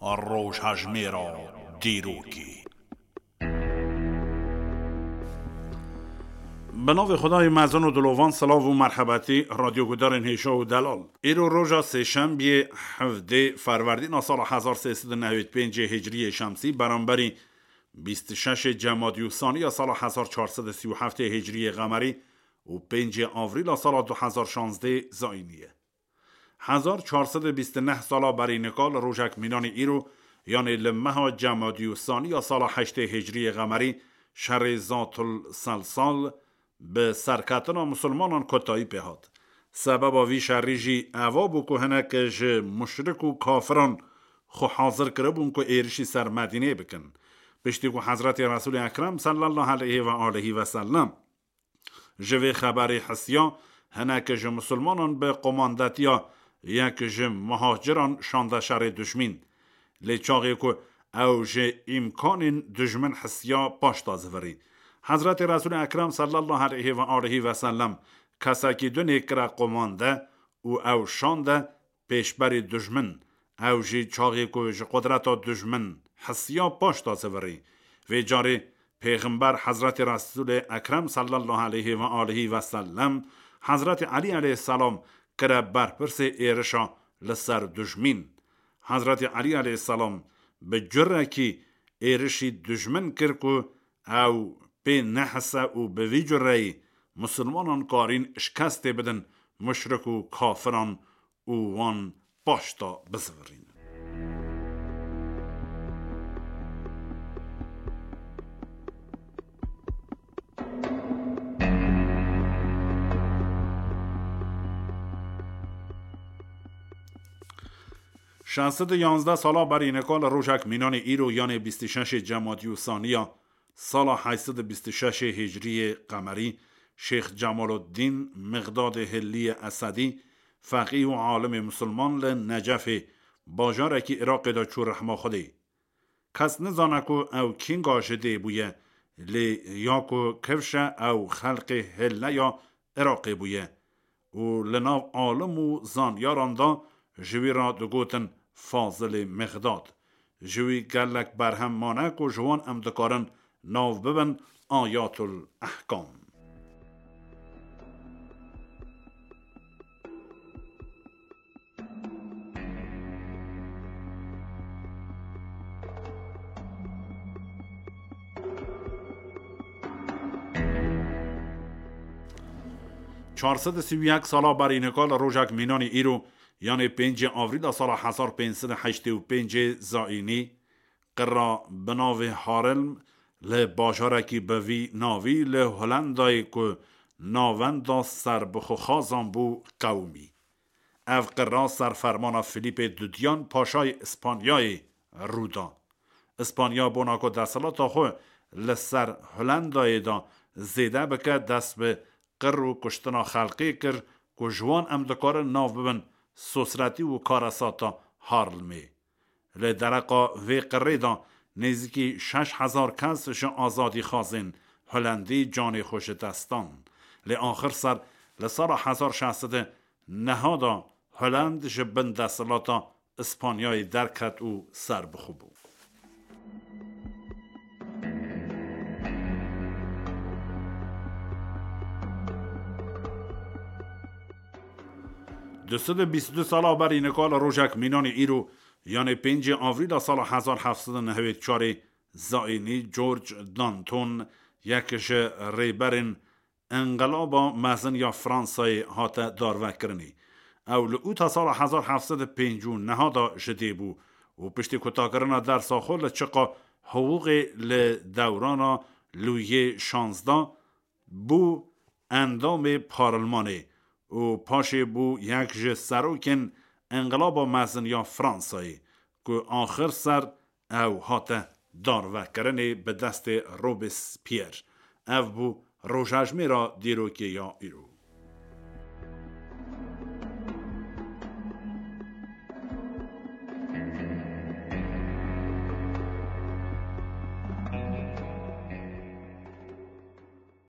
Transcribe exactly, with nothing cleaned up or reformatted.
Rojhejmêra dîrokê. Bi navê Xwedayê mezin û dilovan, silav û merhebetî, radyogudarên hêşa û delal. Îro roja sêşembiyê, hevdê Ferwerdîna sala hezar sê sed û newêd pêncê Hicriyê Şemsî, beramberî bîst û şeşê Cemadî û Saniya sala hezar çar sed û sî û heftê Hicriyê Qemerî û pêncê Avrîla sala du hezar şazdê Zayînî ye. Hezar çar sed û bîst û neh sala berî nika li rojek mînanî îro, yanê li meha Cemadî û Saniya sala heştê Hicriyê Qemerî, şerê Zatul Selsal bi serketina misilmanan kotayî pê hat. Sebeba vî şerî jî eva bû ku hinek ji muşrik û kafiran xwe hazir kiribûn ku êrişî ser Medînê bikin. Piştî ku Hezretê Resûlê Ekrem sallallahu aleyhi ve aleyhi ve sellem ji vê xeberê hisiya, hinek ji misilmanan bi qomandetiya yek ji muhaciran şande şerê dijmîn. Lê çaxê ku ew ji îmkanên dijmin hisiya, paşta zivirî. Hezretê Resûlê Ekrem sallallahu aleyhi ve aleyhi ve sellem kesekî dunê kire qomande û ew şande pêşberî dijmin. Ew jî çaxê ku ji qudreta dijmin hisiya, paşta zivirî. Vê carê Pêxember Hezretê Resûlê Ekrem sallallahu aleyhi ve aleyhi ve sellem Hezretê Elî aleyhisselam kire berpirsê êrişa li ser dijmîn. Hezretê Elî aleyhisselam bi curekî êrişî dijmin kir ku ew pê nehise û bi vî cureyî misilmanan karîn şikestê bidin muşrik û kafiran û wan paşta bizivirînin. Şeş sed û yanzdeh sala berî nika li rojek mînanê îro, yanê bîst û şeşê Cemadî û Saniya sala heşt sed û bîst û şeşê Hicriyê Qemerî, Şêx Cemaluddîn Mixdadê Hilliyê Esedî, feqîh û alimê misilman li Necefê, bajarekî Iraqê de çû rehma Xwedê. Kes nizane ku ew kînga ji dê bûye, lê ya ku kifşe ew xelqê Hilleya Iraqê bûye û li nav alim û zanyaran de ji wî re digotin Fazilê Mixdad. Ji wî gelek berhem mane ku ji wan em dikarin nav bibin Ayatul Ehkam. Çar sed û sî û yek sala berî nika li rojek mînanî îro, yanê pêncê Avrîla sala hezar pênc sed û heştê û pêncê Zayînî, qira bi navê Harelm li bajarekî bi vî navî li Holendayê ku navenda serbixwexazan bû, qewimî. Ev qira ser fermana Filîpê Dudiyan, paşayê Îspanyayê, rû da. Îspanya bona ku desthilata xwe li ser Holendayê de zêde bike, dest bi qir û kuştina xelkê kir ku ji wan em dikarin nav bibin sosretî û karesata Harlemê. Li dereqa vê qirê de nêzîkî şeş hezar kes ji azadîxwazên Holendî canê xwe ji dest dan. Lê axir ser li sala hezar şeş sed û neh de Holend ji bin desthilata Îspanyayê derket û serbixwe bû. Du sed û bîst û du sala berî nika li rojek mînanê îro, yanê pêncê Avrîla sala hezar heft sed û nehwêd çarê Zayînî, George Danton, yek ji rêberên Enqilaba Mezin ya Fransayê hate darvekirinê. Ew li ûta sala hezar heft sed û pêncî û neh de ji dê bû û piştî kutakirina dersa xwe li çiqa hiqûqê li dewrana Lûyê şazdeh bû endamê parlemanê û paşê bû yek ji serokên Enqilaba Mezin ya Fransayê ku axir ser ew hate darvekirinê bi destê Robespierre. Ev bû rojhejmêra dîrokê ya îro.